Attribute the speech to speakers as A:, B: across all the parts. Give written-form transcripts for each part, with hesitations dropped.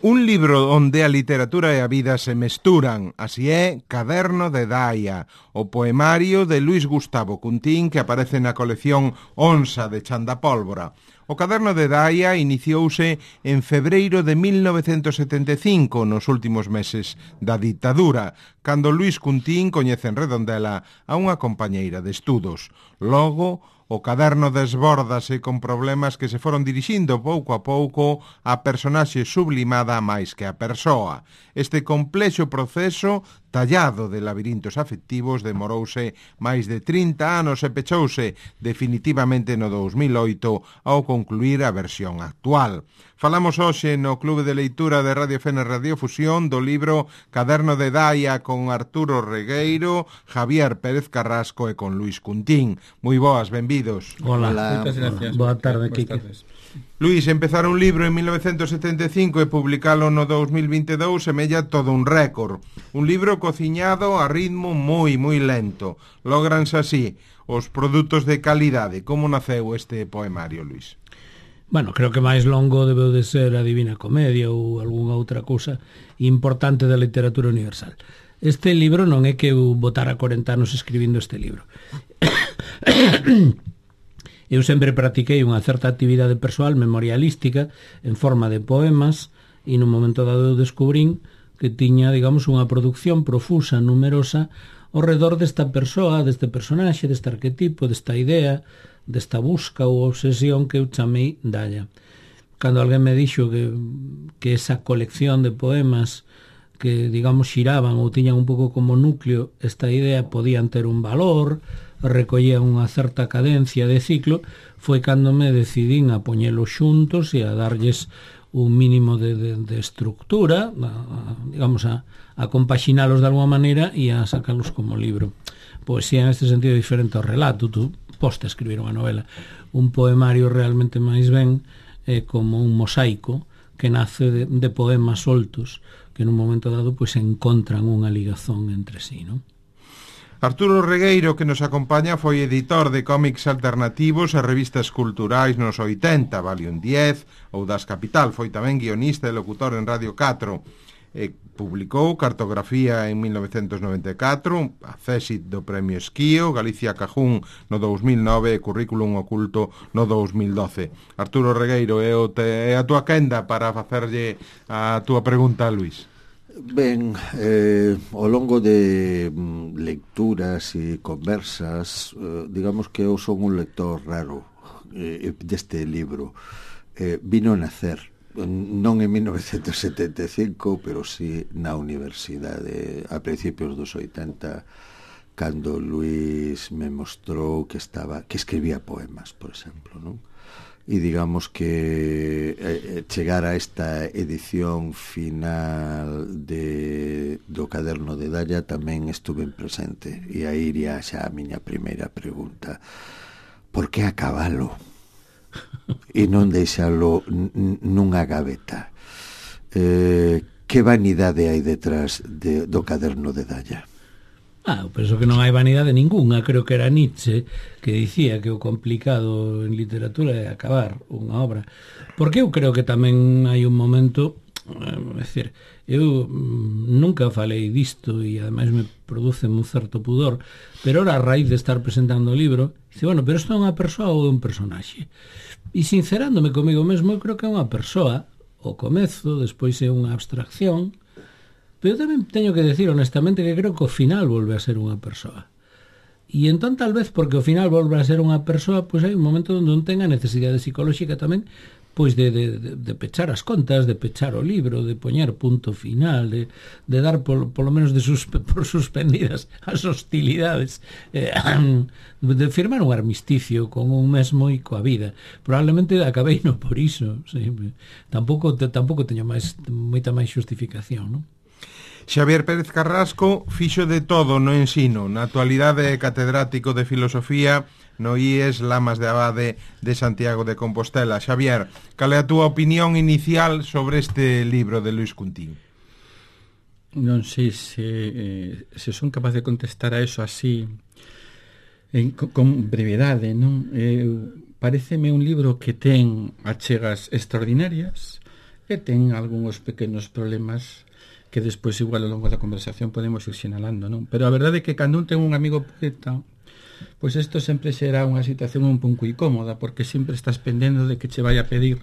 A: Un libro onde a literatura e a vida se mesturan, así é Caderno de Daia, o poemario de Luís Gustavo Cuntín que aparece na colección Onsa de Chandapólvora. O Caderno de Daia iniciouse en febreiro de 1975, nos últimos meses da ditadura, cando Luís Cuntín coñece en Redondela a unha compañeira de estudos. Logo, o caderno desbórdase con problemas que se foron dirixindo pouco a pouco a personaxe sublimada máis que a persoa. Este complexo proceso, tallado de labirintos afectivos, demorouse máis de 30 anos e pechouse definitivamente no 2008 ao concluir a versión actual. Falamos hoxe no Clube de Leitura de Radio Fene Radiofusión do libro Caderno de Daia con Arturo Regueiro, Javier Pérez Carrasco e con Luís Cuntín. Moi boas, benvidos.
B: Hola.
C: Moitas gracias.
B: Boa tarde, Quique.
A: Luís, empezar un libro en 1975 e publicalo no 2022 semella todo un récord. Un libro cociñado a ritmo moi lento. Logranse así os produtos de calidade. Como naceu este poemario, Luís?
B: Bueno, creo que máis longo debeu de ser a Divina Comedia ou algunha outra cousa importante da literatura universal. Este libro non é que eu botara 40 anos escribindo este libro. Eu sempre practiquei unha certa actividade persoal memorialística en forma de poemas e nun momento dado eu descubrín que tiña, digamos, unha producción profusa, numerosa, ao redor desta persoa, deste personaxe, deste arquetipo, desta idea, desta busca ou obsesión que eu chamei Daia. Cando alguén me dixo que esa colección de poemas que, digamos, xiraban ou tiñan un pouco como núcleo esta idea podían ter un valor, recollían unha certa cadencia de ciclo, foi cando me decidín a poñelos xuntos e a darlles un mínimo de estructura, digamos, a compaxinalos de alguma maneira e a sacarlos como libro. Poesía en este sentido diferente ao relato. Tú poste a escribir unha novela. Un poemario realmente máis ben é como un mosaico que nace de poemas soltos que nun momento dado pois encontran unha ligazón entre sí, non?
A: Arturo Regueiro, que nos acompaña, foi editor de cómics alternativos e revistas culturais nos 80, Valium 10 ou Das Capital. Foi tamén guionista e locutor en Radio 4. Publicou Cartografía en 1994, a Césit do Premio Esquío, Galicia Cajún no 2009 e Currículum Oculto no 2012. Arturo Regueiro, é a túa quenda para facerlle a túa pregunta a Luís.
C: Ben, ao longo de lecturas e conversas, digamos que eu son un lector raro deste libro. Vino a nacer, non en 1975, pero sí na universidade, a principios dos 80, cando Luís me mostrou que escribía poemas, por exemplo, non? E digamos que chegar a esta edición final do Caderno de Daia tamén estuve presente, e aí iría xa a miña primeira pregunta: por que acabalo e non deixalo nunha gaveta? Que vanidade hai detrás do Caderno de Daia?
B: Eu penso que non hai vanidade ninguna. Creo que era Nietzsche que dicía que o complicado en literatura é acabar unha obra. Porque eu creo que tamén hai un momento, é dicir, eu nunca falei disto e ademais me produce un certo pudor, pero ora a raíz de estar presentando o libro, dice, bueno, pero isto é unha persoa ou é un personaxe? E sincerándome comigo mesmo, eu creo que é unha persoa, o comezo, despois é unha abstracción. Pero tamén teño que decir honestamente que creo que o final volve a ser unha persoa. E entón tal vez porque o final volve a ser unha persoa, pois hai un momento onde non ten a necesidade psicolóxica tamén pois de pechar as contas, de pechar o libro, de poñer punto final, de dar polo menos por suspendidas as hostilidades, de firmar un armisticio con un mesmo e coa vida. Probablemente acabei no por iso, sí. Tampouco teño moita máis xustificación, non?
A: Xavier Pérez Carrasco fixo de todo no ensino. Na actualidade é catedrático de filosofía no IES Lamas de Abade de Santiago de Compostela. Xavier, cal é a túa opinión inicial sobre este libro de Luís Cuntín?
D: Non sei se son capaz de contestar a eso así con brevedade, non? Paréceme un libro que ten achegas extraordinarias, E ten algúns pequenos problemas que despois igual ao longo da conversación podemos ir sinalando, non? Pero a verdade é que cando un ten un amigo poeta, pois isto sempre será unha situación un pouco incómoda, porque sempre estás pendendo de que che vai a pedir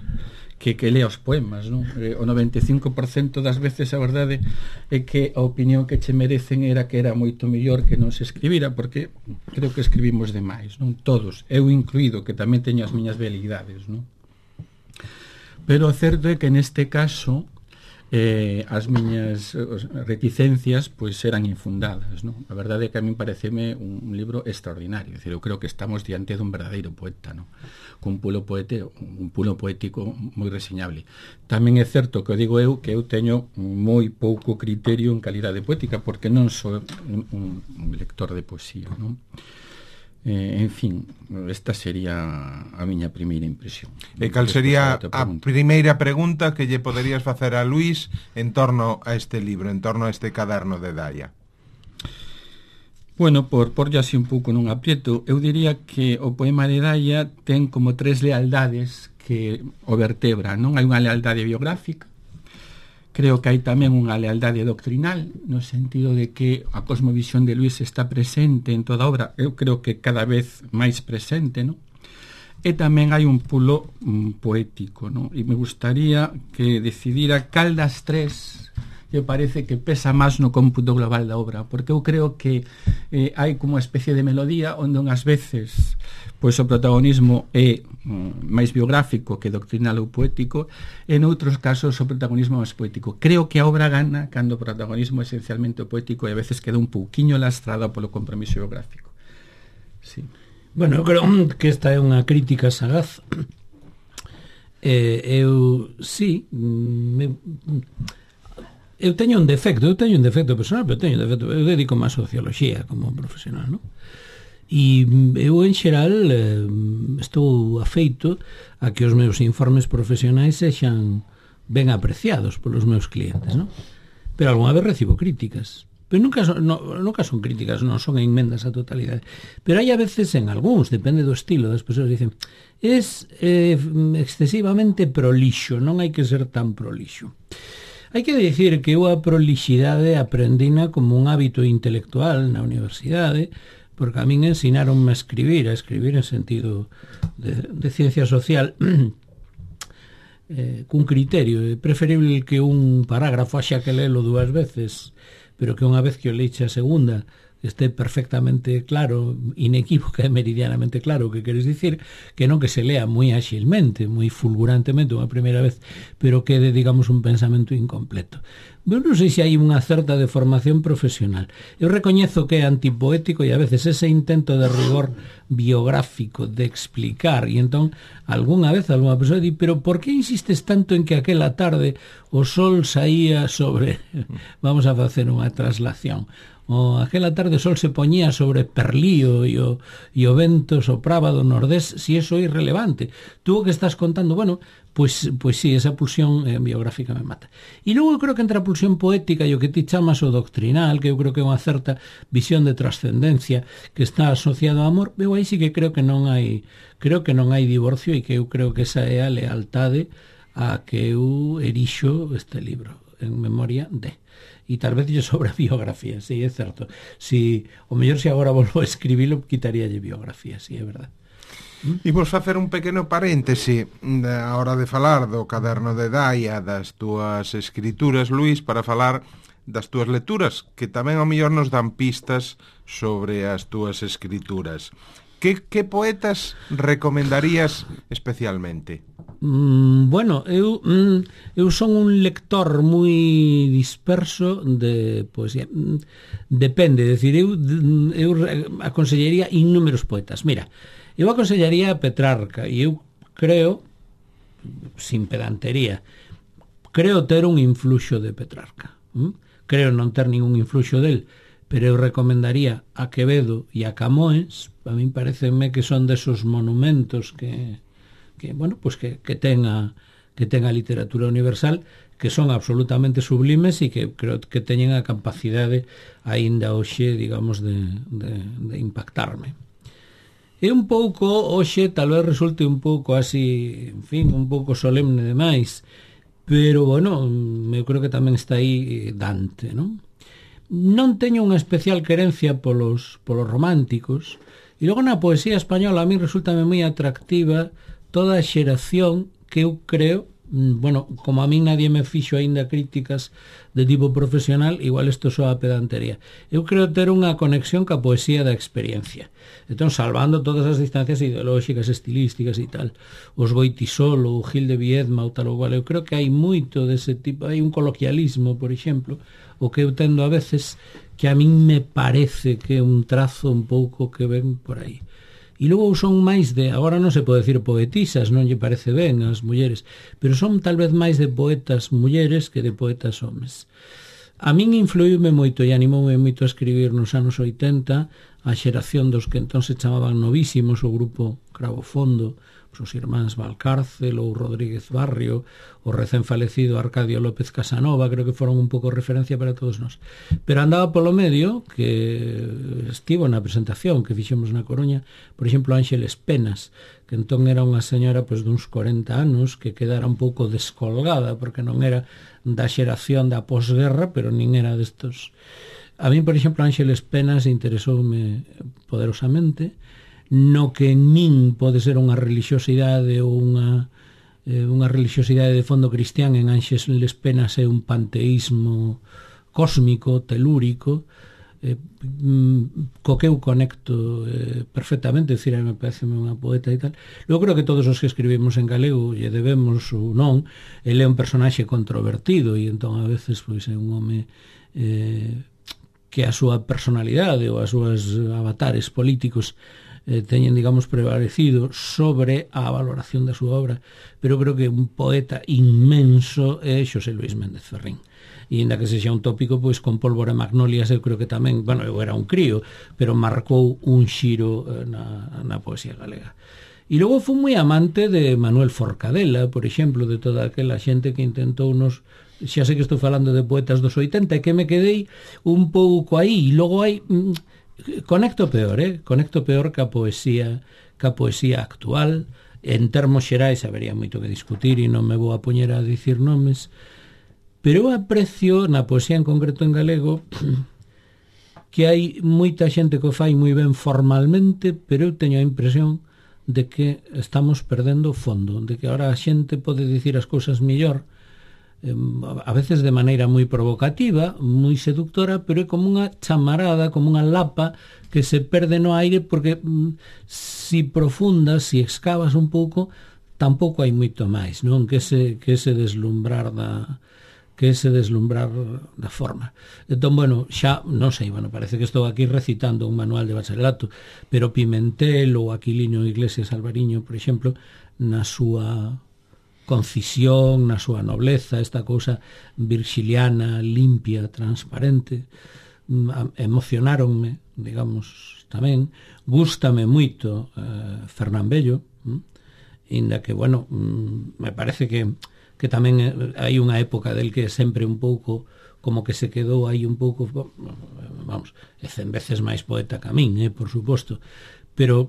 D: que lea os poemas, non? O 95% das veces a verdade é que a opinión que che merecen era que era moito mellor que non se escribira, porque creo que escribimos demais, non? Todos, eu incluído, que tamén teño as miñas velidades, non? Pero o certo é que neste caso as miñas reticencias pois eran infundadas, non? A verdade é que a min pareceme un libro extraordinario, é dicir, eu creo que estamos diante dun verdadeiro poeta, non? Cun pulo poético moi reseñable. Tamén é certo que digo eu que eu teño moi pouco criterio en calidade poética, porque non sou un lector de poesía, non? En fin, esta sería a miña primeira impresión.
A: E cal sería a primeira pregunta que lle poderías facer a Luís en torno a este libro, en torno a este caderno de Daia?
D: Bueno, por así un pouco nun aprieto, eu diría que o poema de Daia ten como 3 lealdades que o vertebran, non? Hai unha lealdade biográfica, creo que hai tamén unha lealdade doctrinal, no sentido de que a cosmovisión de Luís está presente en toda a obra, eu creo que cada vez máis presente, non? E tamén hai un pulo poético, non? E me gustaría que decidira cal das 3 que parece que pesa máis no cómputo global da obra, porque eu creo que hai como unha especie de melodía onde unhas veces pois o protagonismo é máis biográfico que doctrinal ou poético, e noutros casos o protagonismo é máis poético. Creo que a obra gana cando o protagonismo é esencialmente poético e a veces queda un pouquiño lastrada polo compromiso biográfico. Sí.
B: Bueno, eu creo que esta é unha crítica sagaz. Eu teño un defecto personal, pero teño un defecto. Eu dedico máis a socioloxía como profesional, non? E eu, en xeral, estou afeito a que os meus informes profesionais sexan ben apreciados polos meus clientes, non? Pero algunha vez recibo críticas. Pero nunca son críticas, non son enmendas á totalidade. Pero hai a veces en algúns, depende do estilo das persoas, dicen, es excesivamente prolixo, non hai que ser tan prolixo. Hai que dicir que eu a prolixidade aprendina como un hábito intelectual na universidade, porque a min ensinaronme a escribir en sentido de ciencia social, cun criterio. É preferible que un parágrafo haxa que lelo 2 veces, pero que unha vez que o leixe a segunda este perfectamente claro, inequívoca e meridianamente claro o que queres dicir, que non que se lea moi áxilmente, moi fulgurantemente unha primeira vez, pero quede, digamos, un pensamento incompleto. Eu non sei se hai unha certa deformación profesional. Eu recoñezo que é antipoético e a veces ese intento de rigor biográfico, de explicar, e entón algunha vez algunha persoa di, pero por que insistes tanto en que aquela tarde o sol saía sobre... Vamos a facer unha traslación. O aquela tarde o sol se poñía sobre Perlío e o vento sopraba do nordés, si eso é irrelevante. Tú o que estás contando, bueno, pois sí, esa pulsión biográfica me mata. E logo eu creo que entre a pulsión poética e o que ti chamas o doctrinal, que eu creo que é unha certa visión de trascendencia que está asociado ao amor, eu aí sí que creo que non hai divorcio, e que eu creo que esa é a lealtade a que eu erixo este libro en memoria de... E tal vez lle sobra biografía, sí, é certo. Si, o mellor se agora volvo a escribilo, quitaríalle biografía, sí, é verdad.
A: Imos facer un pequeno paréntese a hora de falar do caderno de Daia, das túas escrituras, Luís, para falar das túas lecturas, que tamén ao mellor nos dan pistas sobre as túas escrituras. Que poetas recomendarías especialmente?
B: Bueno, eu son un lector moi disperso de poesía. Depende, decir, eu aconsellaría innúmeros poetas. Mira, eu aconsellaría a Petrarca, e eu creo, sin pedantería, creo ter un influxo de Petrarca. Creo non ter ningún influxo del, pero eu recomendaría a Quevedo e a Camões. A min pareceme que son desos monumentos que bueno, pues que ten a literatura universal, que son absolutamente sublimes e que creo que teñen a capacidade aínda hoxe, digamos, de impactarme. É un pouco, hoxe, tal vez resulte un pouco así, en fin, un pouco solemne demais, pero, bueno, eu creo que tamén está aí Dante, non? Non teño unha especial querencia polos románticos, e logo na poesía española a mí resultame moi atractiva toda a xeración que eu creo, bueno, como a mí nadie me fixo aínda críticas de tipo profesional, igual isto soa a pedantería. Eu creo ter unha conexión ca poesía da experiencia. Entón, salvando todas as distancias ideolóxicas, estilísticas e tal, os Goitisolo, o Gil de Viedma, ou tal ou cual, eu creo que hai moito dese tipo, hai un coloquialismo, por exemplo, o que eu tendo a veces que a min me parece que é un trazo un pouco que ven por aí. E logo son máis de, agora non se pode decir poetisas, non lle parece ben as mulleres, pero son tal vez máis de poetas mulleres que de poetas homes. A min influíume moito e animoume moito a escribir nos anos 80 a xeración dos que entón se chamaban novísimos, o grupo Cravo Fondo, os irmáns Valcárcel ou Rodríguez Barrio, o recén falecido Arcadio López Casanova, creo que foron un pouco referencia para todos nós. Pero andaba polo medio, que estivo na presentación que fixemos na Coruña, por exemplo, Ángeles Penas, que entón era unha señora pois, duns 40 anos, que quedara un pouco descolgada, porque non era da xeración da posguerra, pero nin era destos. A mí, por exemplo, Ángeles Penas interesoume poderosamente, no que en min pode ser unha religiosidade ou unha religiosidade de fondo cristián. En Ángeles Penas é un panteísmo cósmico, telúrico, co que eu conecto perfectamente, decir, me parece unha poeta e tal. Eu creo que todos os que escribimos en galego lle debemos ou non, ele é un personaxe controvertido e entón a veces pois é un home que a súa personalidade ou as súas avatares políticos teñen, digamos, prevalecido sobre a valoración da súa obra, pero creo que un poeta inmenso é Xosé Luis Méndez Ferrín. E ainda que sexa un tópico, pois con Pólvora e Magnolias eu creo que tamén, bueno, eu era un crío, pero marcou un xiro na poesía galega. E logo fui moi amante de Manuel Forcadela, por exemplo, de toda aquela xente que intentou nos... Xa sei que estou falando de poetas dos 80 e que me quedei un pouco aí, e logo hai... Conecto peor ca poesía actual. En termos xerais habería moito que discutir e non me vou a poñer a dicir nomes, pero eu aprecio na poesía en concreto en galego que hai moita xente que o fai moi ben formalmente, pero eu teño a impresión de que estamos perdendo o fondo, de que ahora a xente pode dicir as cousas mellor, a veces de maneira moi provocativa, moi seductora, pero é como unha chamarada, como unha lapa que se perde no aire, porque si profundas, si excavas un pouco, tampouco hai moito máis, non? Que ese deslumbrar da forma. Entón, bueno, xa, non sei, bueno, parece que estou aquí recitando un manual de bacharelato, pero Pimentel ou Aquilino Iglesias Alvariño, por exemplo, na súa concisión, na súa nobleza, esta cousa virgiliana, limpia, transparente, emocionáronme, digamos, tamén. Gústame moito Fernán Bello, inda que, bueno, me parece que tamén hai unha época del que sempre un pouco como que se quedou aí un pouco, vamos, é 100 veces máis poeta que a min, por suposto, pero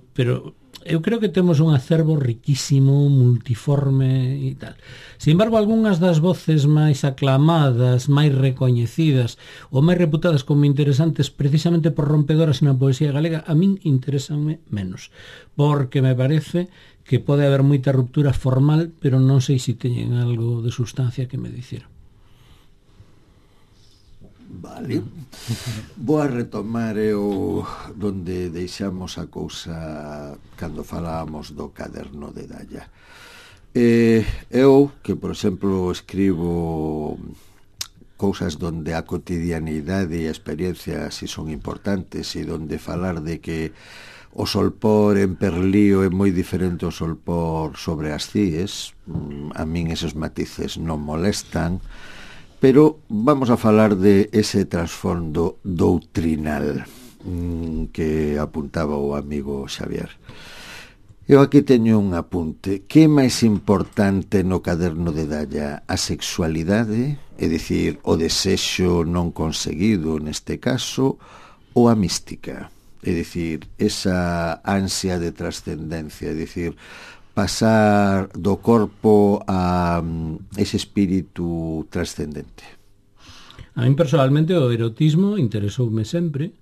B: eu creo que temos un acervo riquísimo, multiforme e tal. Sin embargo, algunhas das voces máis aclamadas, máis recoñecidas ou máis reputadas como interesantes precisamente por rompedoras na poesía galega, a min interesanme menos, porque me parece que pode haber moita ruptura formal, pero non sei se teñen algo de sustancia que me dicir.
C: Vale. Vou a retomar donde deixamos a cousa cando falábamos do caderno de Dalla. Eu, que por exemplo escribo cousas donde a cotidianidade e a experiencia si son importantes e donde falar de que o solpor en Perlío é moi diferente ao solpor sobre as Cíes, a min esos matices non molestan, pero vamos a falar de ese trasfondo doutrinal que apuntaba o amigo Xavier. Eu aquí teño un apunte. Que é máis importante no caderno de Dalla? A sexualidade, é dicir, o desexo non conseguido neste caso, ou a mística? É dicir, esa ansia de trascendencia, é dicir, pasar do corpo a ese espírito trascendente?
B: A min personalmente o erotismo interesoume sempre,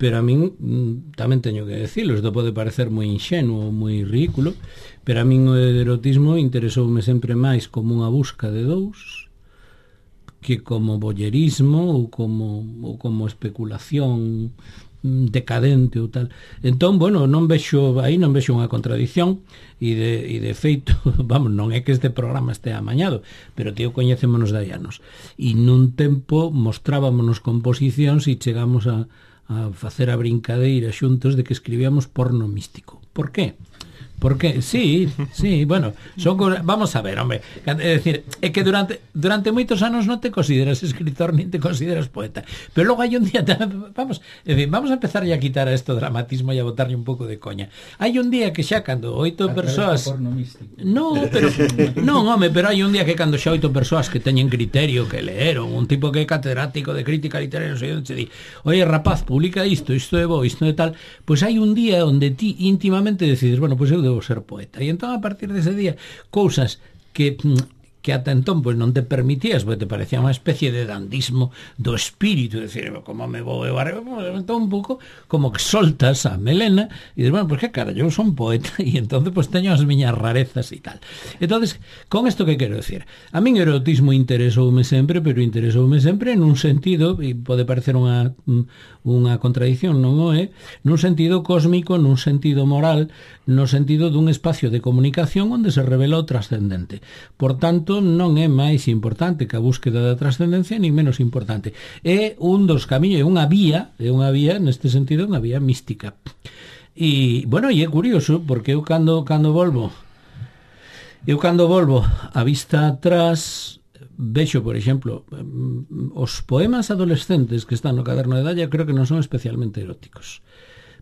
B: pero a min tamén teño que decirlo, isto pode parecer moi inxenuo, moi ridículo, pero a min o erotismo interesoume sempre máis como unha busca de dous que como voyerismo ou como especulación decadente ou tal. Entón, bueno, non vexo unha contradición e de feito, vamos, non é que este programa este amañado, pero tío, coñecémonos de hai anos. E nun tempo mostrábamonos composicións e chegamos a facer a brincadeira xuntos de que escribíamos porno místico. Por qué? Porque, sí, bueno, vamos a ver, hombre, é decir, é que durante moitos anos non te consideras escritor nin te consideras poeta, pero logo hai un día, vamos a empezar a quitar a esto dramatismo e a botarlle un pouco de coña. Hai un día que xa cando 8 persoas... Non, pero hai un día que cando xa 8 persoas que teñen criterio, que leeron, un tipo que é catedrático de crítica literaria, non sei onde se di, oye, rapaz, publica isto é bo, isto é tal, pois hai un día onde ti íntimamente decides, bueno, pois eu debo ser poeta. E entón, a partir dese día, cousas que ata entón pois non te permitías, porque te parecía unha especie de dandismo do espírito, decir, como me vou eu entón un pouco como que soltas a melena e dices, bueno, pois que cara, eu son poeta e entón pois teño as miñas rarezas e tal. Entonces, con isto que quero decir, a min o erotismo interesoume sempre, pero interesoume sempre nun sentido, e pode parecer unha contradición, non o é, nun sentido cósmico, nun sentido moral, no sentido dun espacio de comunicación onde se revela o trascendente. Por tanto, non é máis importante que a búsqueda da trascendencia, ni menos importante. É un dos camiños, é unha vía, neste sentido, unha vía mística. E, bueno, e é curioso, porque eu cando volvo a vista atrás, vexo, por exemplo, os poemas adolescentes que están no Caderno de Dalla, creo que non son especialmente eróticos.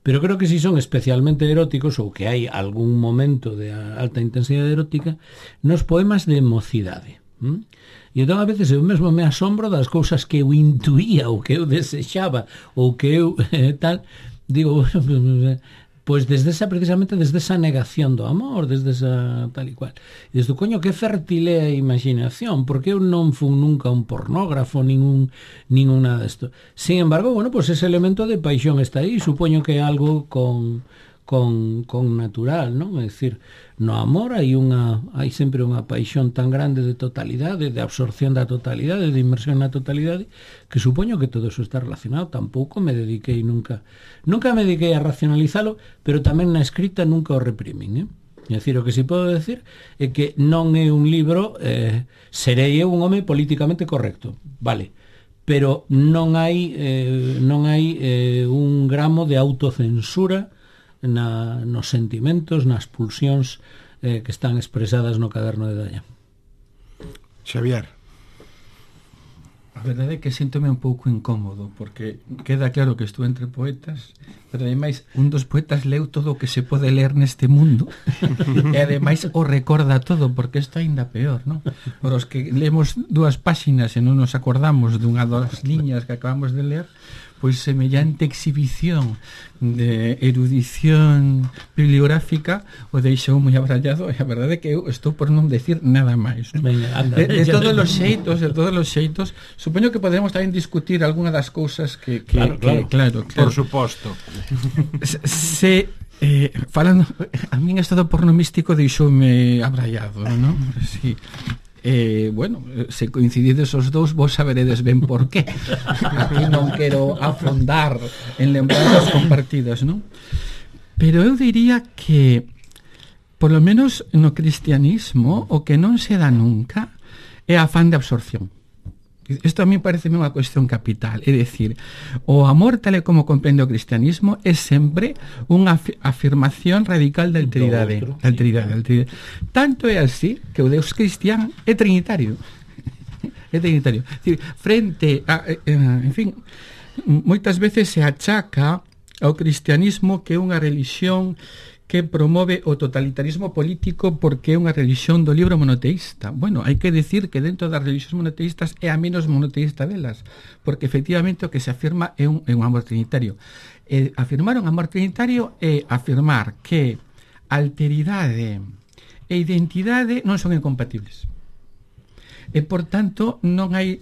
B: Pero creo que si son especialmente eróticos ou que hai algún momento de alta intensidade erótica nos poemas de mocidade. E entón a veces eu mesmo me asombro das cousas que eu intuía ou que eu desexaba ou que eu tal, digo, pois precisamente desde esa negación do amor, desde esa tal e cual. E desde o coño, que fértil é a imaginación, porque eu non fun nunca un pornógrafo, ningún nada desto. Sin embargo, bueno, pois ese elemento de paixón está aí, supoño que é algo con natural, non? É dicir, no amor hai sempre unha paixón tan grande de totalidade, de absorción da totalidade, de inmersión na totalidade, que supoño que todo eso está relacionado. Tampouco me dediquei nunca me dediquei a racionalizalo, pero tamén na escrita nunca o reprimín, É dicir, o que si podo decir é que non é un libro, serei eu un home políticamente correcto, vale, pero non hai un gramo de autocensura nos sentimentos, nas pulsións que están expresadas no Caderno de Dalla.
A: Xavier.
D: A verdade é que síntome un pouco incómodo, porque queda claro que estou entre poetas, pero ademais un dos poetas leu todo o que se pode ler neste mundo e ademais o recorda todo, porque isto é ainda peor, non? Por os que lemos 2 páxinas e non nos acordamos dunha das liñas que acabamos de ler, pois semellante exhibición de erudición bibliográfica o deixou moi abrallado, e a verdade é que eu estou por non decir nada máis, non?
B: Venga, anda,
D: de todos os xeitos, supoño que podemos tamén discutir algunha das cousas que claro.
A: Por suposto.
D: Falando, a min isto do porno místico deixoume abrallado, non? Sí. Bueno, se coincidides os dous, vos saberedes ben por qué. Aquí non quero afondar en lembranzas compartidas, non? Pero eu diría que por lo menos no cristianismo o que non se dá nunca é a afán de absorción. Isto a mí parece unha cuestión capital, é dicir, o amor tal e como comprende o cristianismo é sempre unha afirmación radical da alteridade. Tanto é así que o Deus cristián é trinitario. É trinitario. É dicir, frente a, en fin, moitas veces se achaca ao cristianismo que é unha relixión que promove o totalitarismo político porque é unha religión do libro monoteísta. Bueno, hai que decir que dentro das religións monoteístas é a menos monoteísta delas, porque efectivamente o que se afirma é un amor trinitario. Afirmar un amor trinitario é afirmar que alteridade e identidade non son incompatibles. E, por tanto, non hai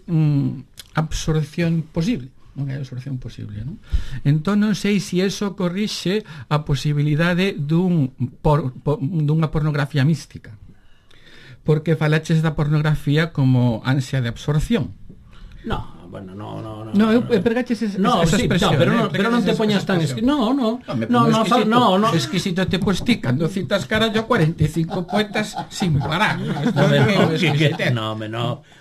D: absorción posible. Non hai absorción posible, non? Entón non sei se iso corrixe a posibilidade dunha pornografía mística, porque falaches da pornografía como ansia de absorción.
B: No, bueno, no.
D: Pregaches esa
B: sí,
D: expresión.
B: Pero non te poñas tan No,
D: exquisito te pues ti cando citas carallo 45 poetas sin parar.
B: No.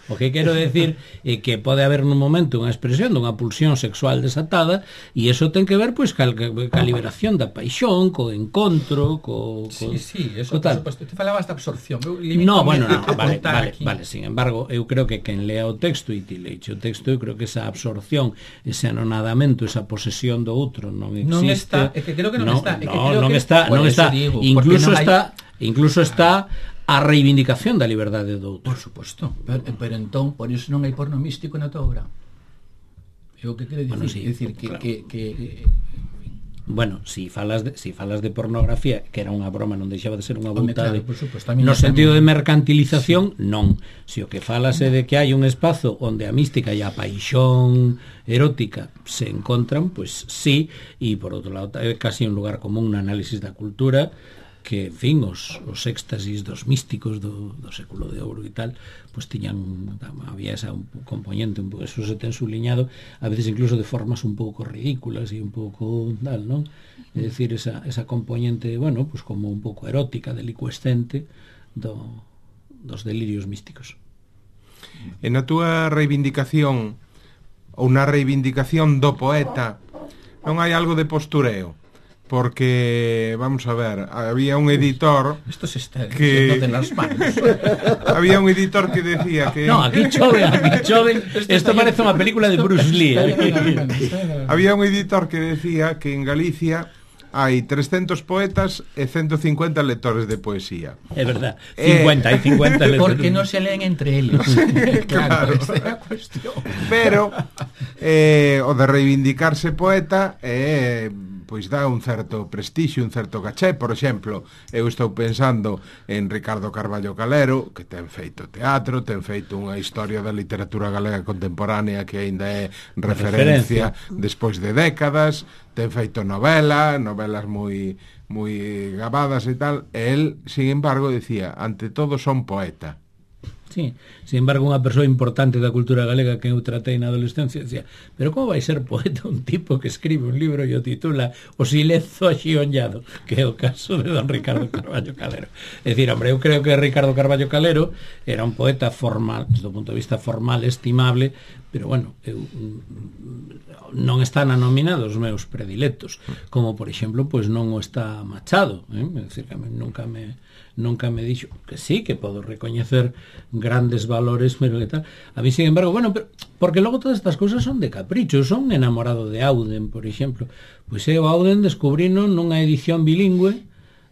B: O que quero decir é que pode haber nun momento unha expresión dunha pulsión sexual desatada e eso ten que ver pois ca liberación da paixón, co encontro,
D: Sí, eso por suposto. Te falabas da absorción. Vale, sin embargo, eu creo que quen lea o texto e ti leiche o texto, eu creo que esa absorción, ese anonadamento, esa posesión do outro non existe. Non está, é que creo que non está.
B: Non está. Incluso está a reivindicación da liberdade do outro.
D: Por suposto, pero entón por iso non hai porno místico na tua obra. É o que quero dicir,
B: bueno, sí,
D: decir
B: claro.
D: que
B: bueno, si falas de pornografía, que era unha broma, non deixaba de ser unha vontade,
D: claro,
B: no sentido de mercantilización, sí. Non. Si o que falas é de que hai un espazo onde a mística e a paixón erótica se encontran, pois sí, e por outro lado é casi un lugar común no análisis da cultura, que, en fin, os éxtasis dos místicos do século de ouro e tal, pues había esa un componente, eso se ten subliñado, a veces incluso de formas un pouco ridículas e un pouco tal, non? É dicir, esa componente, bueno, pues como un pouco erótica, delicuescente dos delirios místicos.
A: En a túa reivindicación ou na reivindicación do poeta non hai algo de postureo? Porque, vamos a ver, había un editor
D: que de las manos.
A: Había un editor que decía que...
B: No, aquí chove. Esto parece unha película de Bruce Lee.
A: Había un editor que decía que en Galicia hai 300 poetas e 150 lectores de poesía.
B: É verdad, 50 lectores.
D: Porque non se leen entre eles. Claro, esa é a cuestión.
A: Pero o de reivindicarse poeta pois dá un certo prestixio, un certo caché. Por exemplo, eu estou pensando en Ricardo Carballo Calero, que ten feito teatro, ten feito unha historia da literatura galega contemporánea que aínda é referencia despois de décadas, ten feito novelas moi gabadas e tal, e el, sin embargo, decía, ante todo son poeta.
B: Sí, sin embargo, unha persoa importante da cultura galega que eu tratei na adolescencia decía, pero como vai ser poeta un tipo que escribe un libro e o titula O silenzo axionllado, que é o caso de don Ricardo Carballo Calero. É dicir, hombre, eu creo que Ricardo Carballo Calero era un poeta formal, do punto de vista formal, estimable, pero bueno, non están nominados os meus predilectos, como por exemplo, pois non o está Machado, é dicir, que nunca me dixo que sí, que podo recoñecer grandes valores, pero que tal. A mí, sin embargo, bueno, pero, porque logo todas estas cousas son de capricho. Son enamorado de Auden, por exemplo. Pois eu Auden descubrino nunha edición bilingüe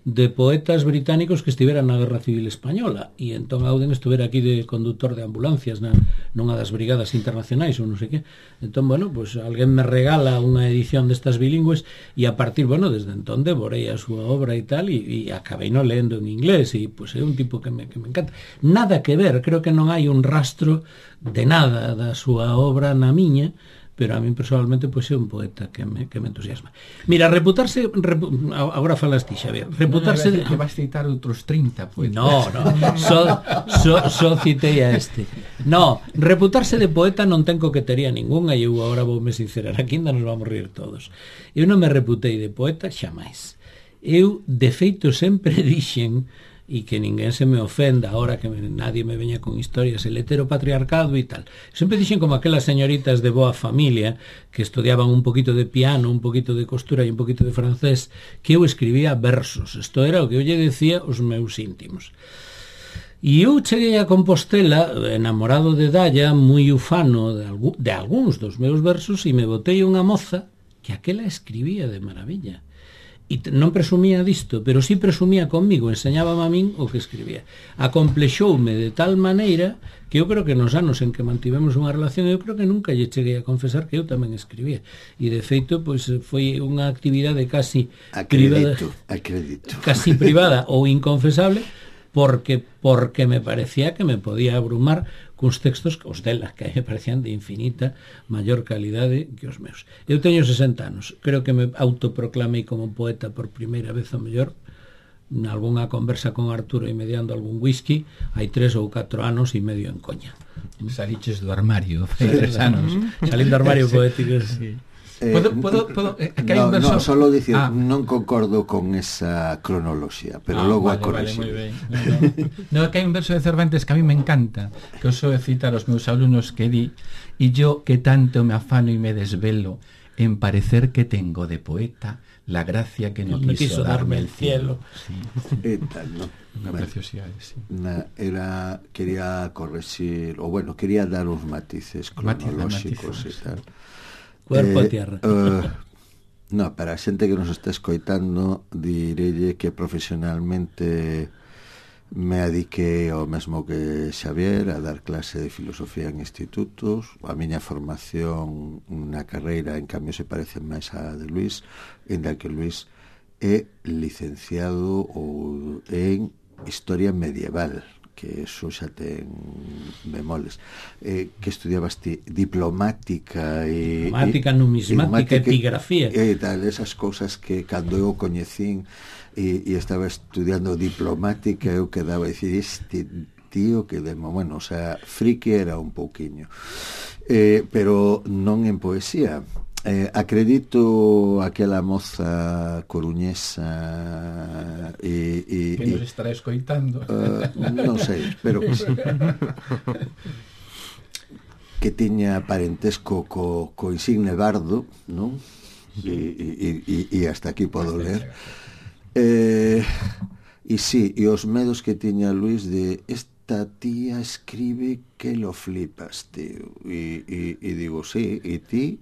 B: de poetas británicos que estiveran na Guerra Civil Española, e entón Auden estuvera aquí de conductor de ambulancias nunha das brigadas internacionais ou non sei que. Entón, bueno, pues alguén me regala unha edición destas bilingües e a partir, bueno, desde entón devorei a súa obra e tal, e acabei no lendo en inglés, e pues é un tipo que me encanta. Nada que ver, creo que non hai un rastro de nada da súa obra na miña, pero a mí personalmente pois é un poeta que me entusiasma. Mira, reputarse agora falas ti, Xavier, reputarse
D: que vas citar outros 30 poetas.
B: No, só citei a este. No, reputarse de poeta non ten coquetería ningunha, e eu agora voume sincerar, aquí ainda nos vamos rir todos. Eu non me reputei de poeta xamais. Eu, de feito, sempre dixen, e que ninguén se me ofenda ahora que nadie me veña con historias, el heteropatriarcado e tal. Sempre dixen como aquelas señoritas de boa familia que estudiaban un poquito de piano, un poquito de costura e un poquito de francés, que eu escribía versos. Isto era o que eu lle decía aos meus íntimos. E eu cheguei a Compostela enamorado de Dalla, moi ufano de algúns dos meus versos, e me botei unha moza que aquela escribía de maravilla. non presumía disto, pero sí presumía conmigo, enseñábame a min o que escribía. Acomplexoume de tal maneira que eu creo que nos anos en que mantivemos unha relación, eu creo que nunca lle cheguei a confesar que eu tamén escribía. E de feito, pois foi unha actividade casi privada, casi privada ou inconfesable, porque me parecía que me podía abrumar cuns textos que os delas, que me parecían de infinita maior calidade que os meus. Eu teño 60 anos, creo que me autoproclamei como poeta por primeira vez ao mellor nalgúna conversa con Arturo e mediando algún whisky hai 3 ou 4 anos e medio en coña.
D: Saliches do armario, fai 3 anos.
B: Salín do armario poético.
D: Sí. ¿Puedo que hai un verso?
C: No, solo dicir, non concordo con esa cronoloxía, pero logo a corrixir.
D: No, que hai un verso de Cervantes que a mí me encanta, que uso de citar aos meus alumnos, que di: "Y yo que tanto me afano y me desvelo en parecer que tengo de poeta la gracia que no quiso darme el cielo". Sí.
C: Tal, ¿no?
D: Unha preciosidade, sí.
C: Quería corregir, o bueno, quería dar uns matices cronolóxicos e tal.
B: Cuerpo a tierra.
C: No, para a xente que nos está escoitando, direlle que profesionalmente me adiquei ao mesmo que Xavier a dar clase de filosofía en institutos. A miña formación na carreira, en cambio, se parece máis a de Luis, en da que Luis é licenciado en Historia Medieval, que eso xa ten bemoles, que estudiabas diplomática
B: numismática, epigrafía
C: e tal, esas cousas que cando eu coñecín e estaba estudiando diplomática, eu quedaba a dicir, este tío que demo, bueno, o sea, friki era un pouquiño, pero non en poesía. Acredito aquela moza coruñesa
D: que nos estará escoitando,
C: non sei, espero que sí, que tiña parentesco co insigne bardo, non? E hasta aquí podo ler. E sí, e os medos que tiña Luis de esta tía escribe que lo flipas, tío, e digo, sí, e ti?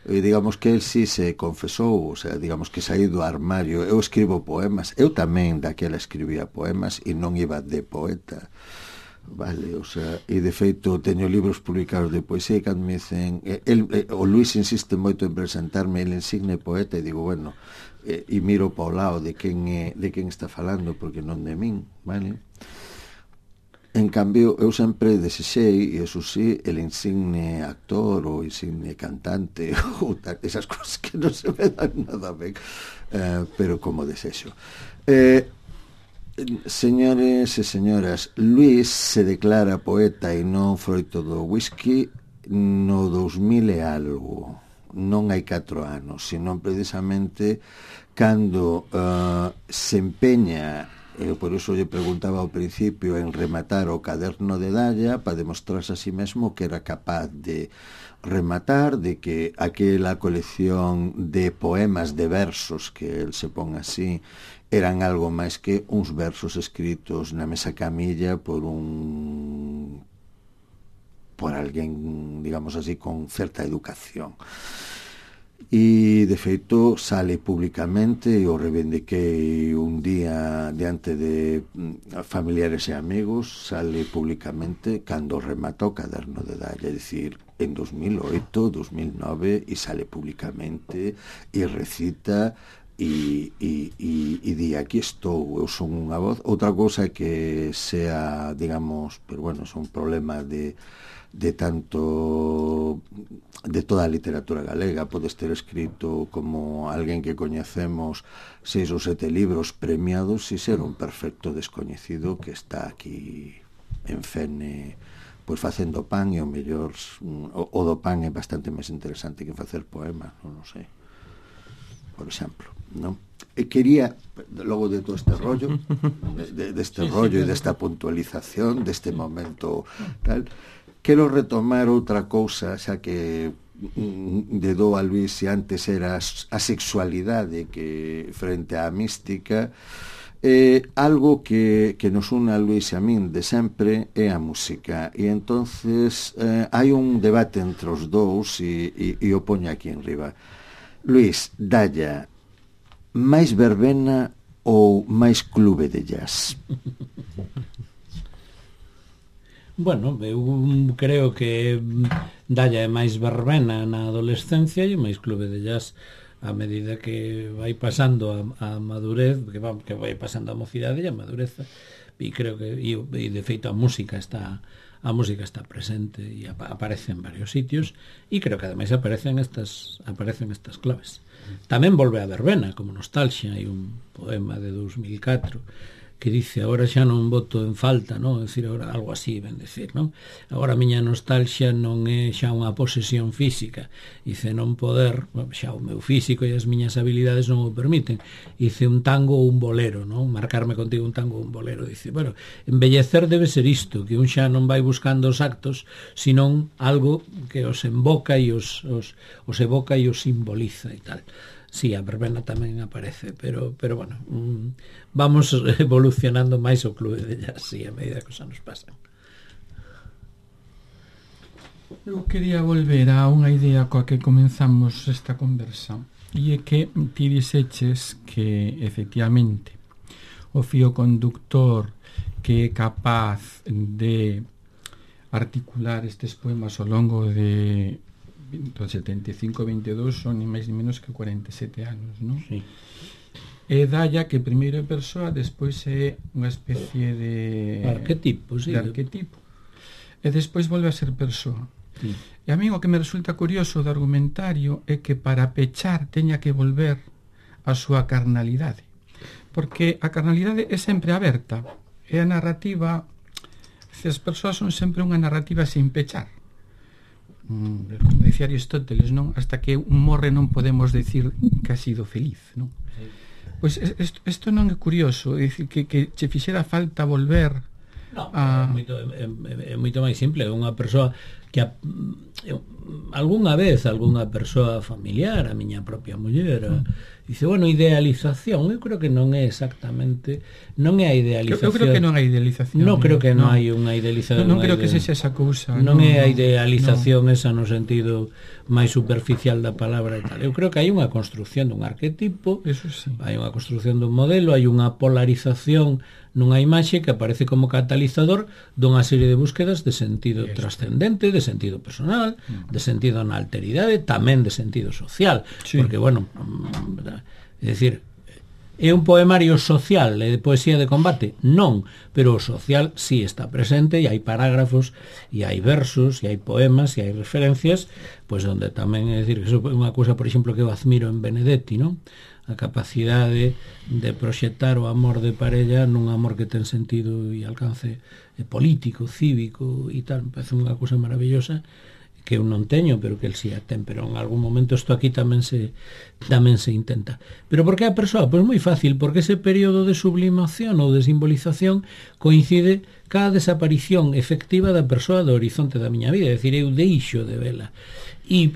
C: Digamos que el sí se confesou, o sea, digamos que saí do armario. Eu escribo poemas, eu tamén daquela escribía poemas e non iba de poeta, vale, o sea, e de feito teño libros publicados de poesía e cando me dicen, o Luis insiste moito en presentarme el insigne poeta e digo, bueno, e miro para o lado de quen está falando, porque non de min, vale. En cambio, eu sempre desexei, e eso sí, el insigne actor ou insigne cantante ou tal, esas cosas que non se me dan nada ben, pero como desexo. Señores e señoras, Luis se declara poeta e non froito do whisky no 2000 e algo, non hai 4 anos, sino precisamente cando se empeña. Por iso lle preguntaba ao principio en rematar o caderno de Dalla para demostrarse a sí mesmo que era capaz de rematar, de que aquela colección de poemas, de versos, que el se pon así, eran algo máis que uns versos escritos na mesa camilla por alguén, digamos así, con certa educación. E de feito sale públicamente, e o reivindiquei un día diante de familiares e amigos, sale públicamente cando remata o caderno de Dalla, é dicir, en 2008, 2009, e sale públicamente e recita e di, aquí estou, eu son unha voz. Outra cousa que sea, digamos, pero bueno, é un problema de tanto de toda a literatura galega. Podes ter escrito como alguén que coñecemos 6 ou 7 libros premiados e ser un perfecto descoñecido que está aquí en Fene pois facendo pan, e o mellor o do pan é bastante máis interesante que facer poemas, non sei, por exemplo, non? E quería, logo de todo este rollo deste rollo e desta puntualización deste momento tal, quero retomar outra cousa, xa que de do a Luis e antes era a sexualidade que frente á mística, algo que nos une a Luis e a min de sempre é a música, e entonces hai un debate entre os dous e o poño aquí en riba. Luis, Dalla máis verbena ou máis clube de jazz?
B: Bueno, eu creo que dalle máis verbena na adolescencia e máis clube de jazz a medida que vai pasando a madurez, que vai pasando a mocidade e a madureza, e creo que e de feito a música está presente e aparece en varios sitios, e creo que ademais aparecen estas claves. Tamén volve a verbena como Nostalgia, hai un poema de 2004 que dice: agora xa non voto en falta, non? É dicir, agora algo así, ben decir, non? Agora a miña nostalgia non é xa unha posesión física, dice, non poder, xa o meu físico e as miñas habilidades non o permiten, dice, un tango ou un bolero, non? Marcarme contigo un tango ou un bolero, dice, bueno, embellecer debe ser isto, que un xa non vai buscando os actos, senón algo que os emboca e os evoca e os simboliza e tal. Sí, a verbena tamén aparece, pero bueno, vamos evolucionando máis o clube de jazz, sí, a medida que os anos pasan.
D: Eu quería volver a unha idea coa que comenzamos esta conversa, e é que ti dixeches que efectivamente o fío conductor que é capaz de articular estes poemas ao longo de 75-22 son ni máis ni menos que 47 anos, non?
B: Sí.
D: E dalla que primeiro é persoa, despois é unha especie de
B: arquetipo, sí.
D: De arquetipo. E despois volve a ser persoa.
B: Sí.
D: E a mí o que me resulta curioso do argumentario é que para pechar teña que volver a súa carnalidade. Porque a carnalidade é sempre aberta. É a narrativa, as persoas son sempre unha narrativa sin pechar. Como decía Aristóteles, non? Hasta que un morre non podemos decir que ha sido feliz, non? Sí. Pois isto non é curioso, é dicir, que che fixera falta volver a...
B: É moito máis simple. Unha persoa que algunha vez algunha persoa familiar, a miña propia muller, dice, bueno, idealización, eu creo que non é exactamente, non é a idealización.
D: Eu creo que non hai idealización.
B: Non creo que non hai unha idealización.
D: Non creo que sexa esa cousa.
B: Non é a idealización esa no sentido máis superficial da palabra e tal. Eu creo que hai unha construción dun arquetipo,
D: eso sí.
B: Hai unha construción dun modelo, hai unha polarización nunha imaxe que aparece como catalizador dunha serie de búsquedas de sentido trascendente, de sentido personal, de sentido na alteridade, tamén de sentido social, sí. Porque, bueno, é dicir, é un poemario social e de poesía de combate? Non, pero o social sí está presente, e hai parágrafos, e hai versos, e hai poemas, e hai referencias, pois onde tamén, é dicir, que é unha cousa, por exemplo, que eu admiro en Benedetti, non? A capacidade de proxectar o amor de parella nun amor que ten sentido e alcance político, cívico e tal. Me parece unha cousa maravillosa que eu non teño, pero que el si a ten, pero en algún momento isto aquí tamén se intenta. Pero por que a persoa? Pois moi fácil, porque ese período de sublimación ou de simbolización coincide ca desaparición efectiva da persoa do horizonte da miña vida, é dicir, eu deixo de vela. E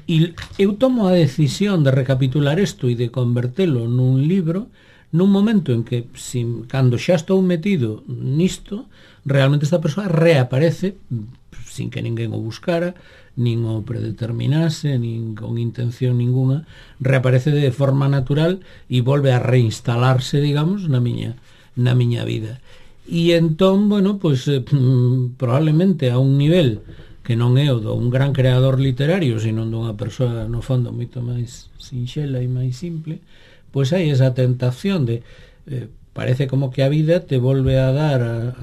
B: eu tomo a decisión de recapitular isto e de convertelo nun libro nun momento en que, cando xa estou metido nisto, realmente esta persoa reaparece sin que ninguén o buscara, nin o predeterminase, nin con intención ninguna, reaparece de forma natural e volve a reinstalarse, digamos, na miña vida. E entón, bueno, pois probablemente a un nivel que non é o dun gran creador literario, sino dunha persoa no fondo moito máis sinxela e máis simple, pois hai esa tentación de parece como que a vida te volve a dar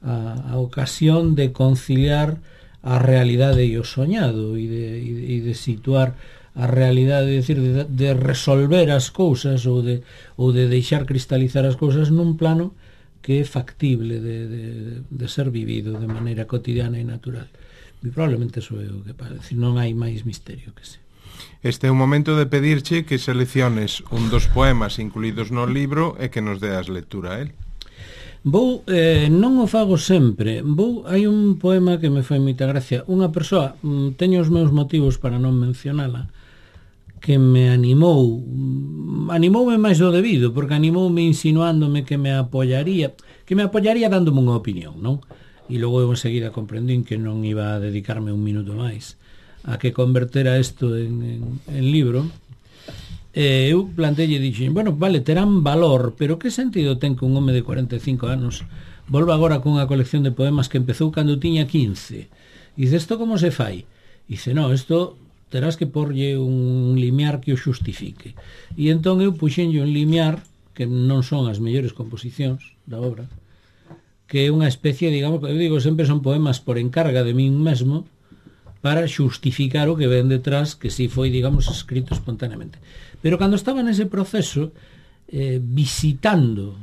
B: a ocasión de conciliar a realidade e o soñado e de situar a realidade, é dicir, de resolver as cousas ou de deixar cristalizar as cousas nun plano que é factible de ser vivido de maneira cotidiana e natural. E probablemente eso é o que parece. Non hai máis misterio que se.
A: Este é un momento de pedirche que selecciones un dos poemas incluídos no libro e que nos deas lectura a él.
B: Non o fago sempre. Hai un poema que me foi moita gracia. Unha persoa, teño os meus motivos para non mencionala, que me animoume máis do debido, porque animoume insinuándome que me apoyaría dándome unha opinión, non? E logo eu enseguida comprendín que non iba a dedicarme un minuto máis a que convertera isto en libro. Eu plantelle e dixen, bueno, vale, terán valor, pero que sentido ten que un home de 45 anos volva agora con unha colección de poemas que empezou cando tiña 15? E dice, isto como se fai? E dice, no, isto terás que porlle un limiar que o xustifique. E entón eu puxenlle un limiar que non son as mellores composicións da obra, que é unha especie, digamos, eu digo sempre son poemas por encarga de min mesmo para xustificar o que ven detrás, que si foi, digamos, escrito espontáneamente. Pero cando estaba nese proceso, visitando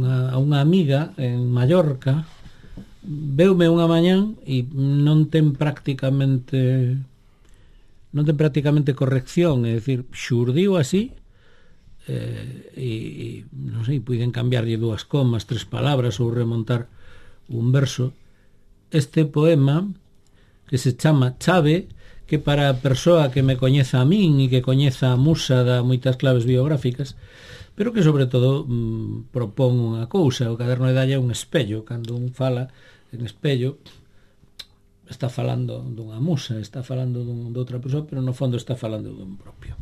B: a unha amiga en Mallorca, veume unha mañán e non ten prácticamente corrección, é dicir, xurdiu así, e non sei, puiden cambiarlle 2 comas, 3 palabras ou remontar un verso. Este poema que se chama Chave, que para a persoa que me coñeza a min e que coñeza a musa da moitas claves biográficas, pero que sobre todo propón unha cousa. O Caderno de Dalla é un espello. Cando un fala en espello está falando dunha musa, está falando de outra persoa, pero no fondo está falando dun propio.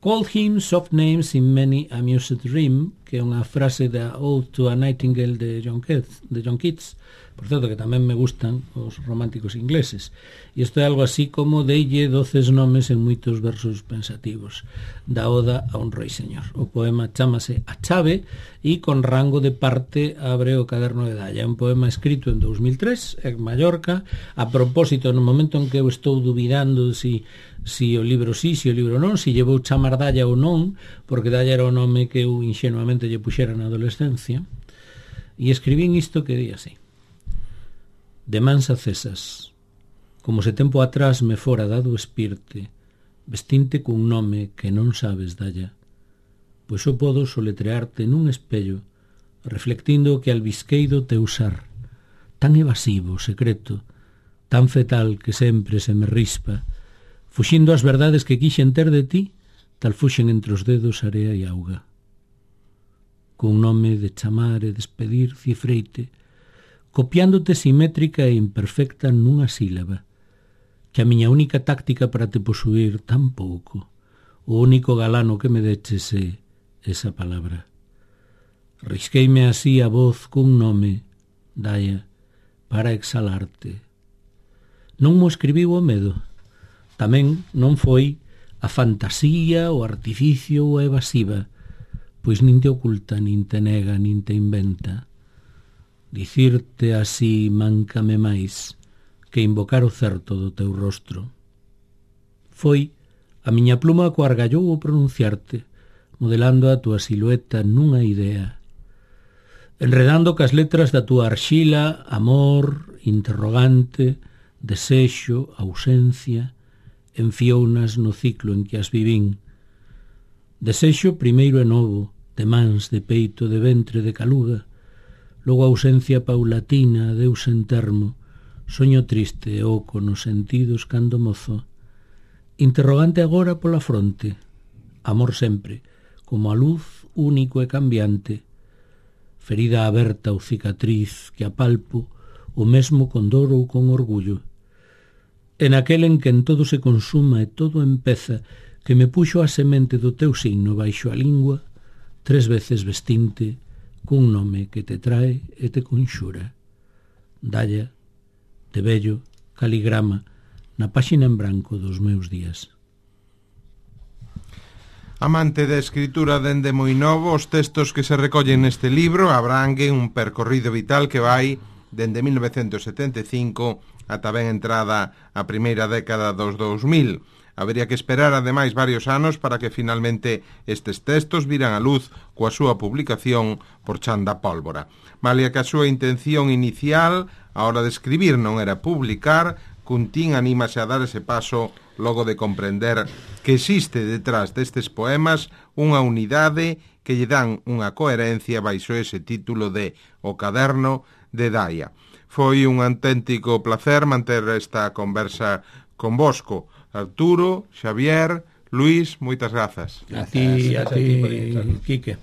B: Called him soft names in many amused rhyme, que é unha frase da Ode to a Nightingale de John Keats, por certo que tamén me gustan os románticos ingleses, e isto é algo así como deille 12 nomes en moitos versos pensativos, da Oda a un rei señor. O poema chámase A Chave e con rango de parte abre o Caderno de Dalla. É un poema escrito en 2003 en Mallorca, a propósito no momento en que eu estou dubidando si o libro sí, si o libro non, si llevou chamar Dalla ou non, porque Dalla era o nome que eu ingenuamente lle puxera na adolescencia, e escribín isto que di así: de mans acesas, como se tempo atrás me fora dado espirte, vestinte cun nome que non sabes, Dalla, pois eu podo soletrearte nun espello, reflectindo o que albisquei do teu sar, tan evasivo, secreto, tan fetal que sempre se me rispa, fuxindo as verdades que quixen ter de ti, tal fuxen entre os dedos area e auga. Cun nome de chamar e despedir cifreite, copiándote simétrica e imperfecta nunha sílaba, que a miña única táctica para te posuir tan pouco, o único galano que me deches é esa palabra. Risqueime así a voz cun nome, Dalla, para exhalarte. Non mo escribiu o medo, tamén non foi a fantasía, o artificio ou a evasiva, pois nin te oculta, nin te nega, nin te inventa. Dicirte así máncame máis que invocar o certo do teu rostro. Foi a miña pluma coa argallou o pronunciarte, modelando a túa silueta nunha idea, enredando cas letras da túa arxila, amor, interrogante, desexo, ausencia, enfiounas no ciclo en que as vivín. Desexo primeiro e novo, de mans, de peito, de ventre, de caluga, logo ausencia paulatina, deus en termo, soño triste e oco nos sentidos cando mozo, interrogante agora pola fronte, amor sempre, como a luz único e cambiante, ferida aberta ou cicatriz que apalpo o mesmo con dor ou con orgullo, en aquel en que en todo se consuma e todo empeza, que me puxo a semente do teu signo baixo a lingua, 3 veces vestinte, cun nome que te trae e te conxura. Dalla, de vello, caligrama, na páxina en branco dos meus días.
A: Amante da escritura dende moi novo, os textos que se recollen neste libro abranguen un percorrido vital que vai dende 1975 ata ben entrada a primeira década dos 2000. Habería que esperar ademais varios anos para que finalmente estes textos viran a luz coa súa publicación por Chanda Pólvora. Malia que a súa intención inicial a hora de escribir non era publicar, Cuntín anímase a dar ese paso logo de comprender que existe detrás destes poemas unha unidade que lle dan unha coherencia baixo ese título de O Caderno de Dalla. Foi un auténtico placer manter esta conversa convosco. Arturo, Xavier, Luís, moitas grazas.
B: A ti, Quique.